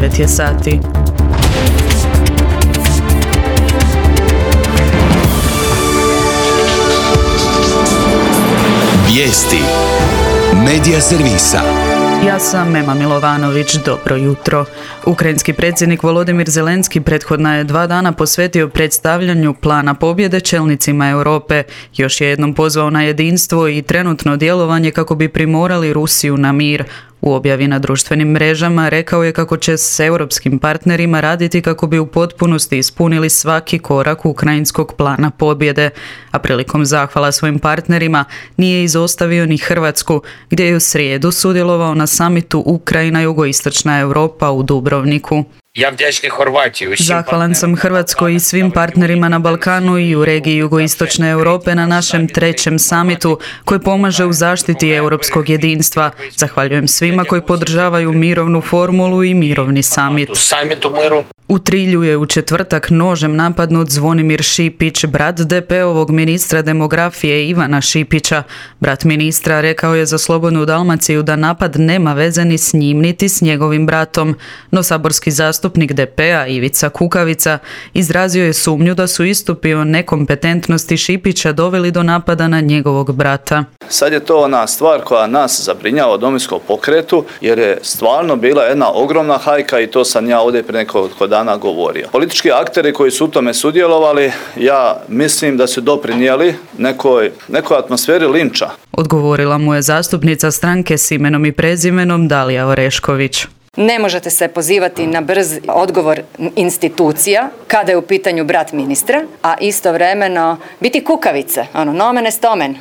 9 je sati. Vijesti Medija servisa. Ja sam Mema Milovanović, dobro jutro. Ukrajinski predsjednik Volodimir Zelenski prethodna je 2 dana posvetio predstavljanju plana pobjede čelnicima Europe. Još je jednom pozvao na jedinstvo i trenutno djelovanje kako bi primorali Rusiju na mir. U objavi na društvenim mrežama rekao je kako će s europskim partnerima raditi kako bi u potpunosti ispunili svaki korak ukrajinskog plana pobjede, a prilikom zahvala svojim partnerima nije izostavio ni Hrvatsku, gdje je u srijedu sudjelovao na samitu Ukrajina-Jugoistočna Europa u Dubrovniku. Zahvalan sam Hrvatskoj i svim partnerima na Balkanu i u regiji Jugoistočne Europe na našem 3. samitu koji pomaže u zaštiti europskog jedinstva. Zahvaljujem svima koji podržavaju mirovnu formulu i mirovni samit. U Trilju je u četvrtak nožem napadnut Zvonimir Šipić, brat DP-ovog ministra demografije Ivana Šipića. Brat ministra rekao je za Slobodnu Dalmaciju da napad nema veze ni s njim niti s njegovim bratom, no saborski zastupnik DP-a Ivica Kukavica izrazio je sumnju da su istupi o nekompetentnosti Šipića doveli do napada na njegovog brata. Sad je to ona stvar koja nas zabrinjava u Domovinskom pokretu, jer je stvarno bila jedna ogromna hajka i to sam ja ovdje prije nekoliko dana govorio. Politički akteri koji su u tome sudjelovali, ja mislim da su doprinijeli nekoj atmosferi linča. Odgovorila mu je zastupnica stranke s imenom i prezimenom Dalija Orešković. Ne možete se pozivati na brz odgovor institucija kada je u pitanju brat ministra, a istovremeno biti kukavice, nomen est omen.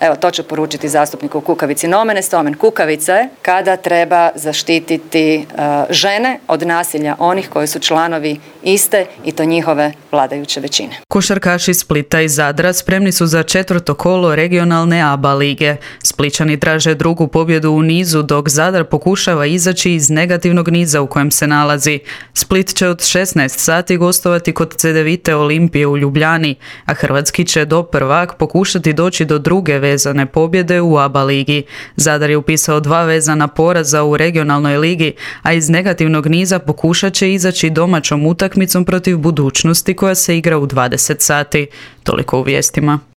Evo, to ću poručiti zastupniku Kukavici. Nomen est omen. Kukavica je kada treba zaštititi žene od nasilja onih koji su članovi iste i to njihove vladajuće većine. Košarkaši Splita i Zadra spremni su za 4. kolo regionalne ABA lige. Splićani traže drugu pobjedu u nizu, dok Zadar pokušava izaći iz negativnog niza u kojem se nalazi. Split će od 16 sati gostovati kod Cedevite Olimpije u Ljubljani, a hrvatski će do prvak pokušati doći do druge vezane pobjede u ABA ligi. Zadar je upisao 2 vezana poraza u regionalnoj ligi, a iz negativnog niza pokušat će izaći domaćom utakmicom protiv Budućnosti koja se igra u 20 sati. Toliko u vijestima.